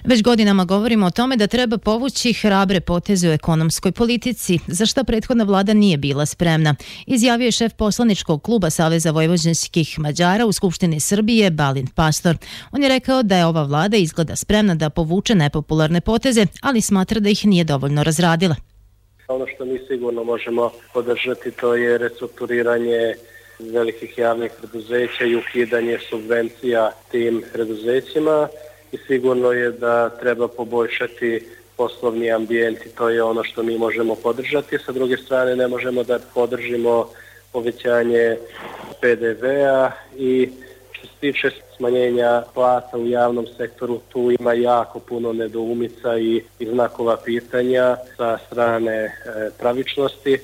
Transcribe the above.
Već godinama govorimo o tome da treba povući hrabre poteze u ekonomskoj politici, za šta prethodna vlada nije bila spremna, izjavio je šef poslaničkog kluba Saveza vojvođanskih Mađara u Skupštini Srbije Balint Pastor. On je rekao da je ova vlada izgleda spremna da povuče nepopularne poteze, ali smatra da ih nije dovoljno razradila. Ono što mi sigurno možemo podržati, to je restrukturiranje velikih javnih preduzeća i ukidanje subvencija tim preduzećima. I sigurno je da treba poboljšati poslovni ambijent i to je ono što mi možemo podržati. Sa druge strane, ne možemo da podržimo povećanje PDV-a i što se tiče smanjenja plata u javnom sektoru, tu ima jako puno nedoumica i znakova pitanja sa strane pravičnosti.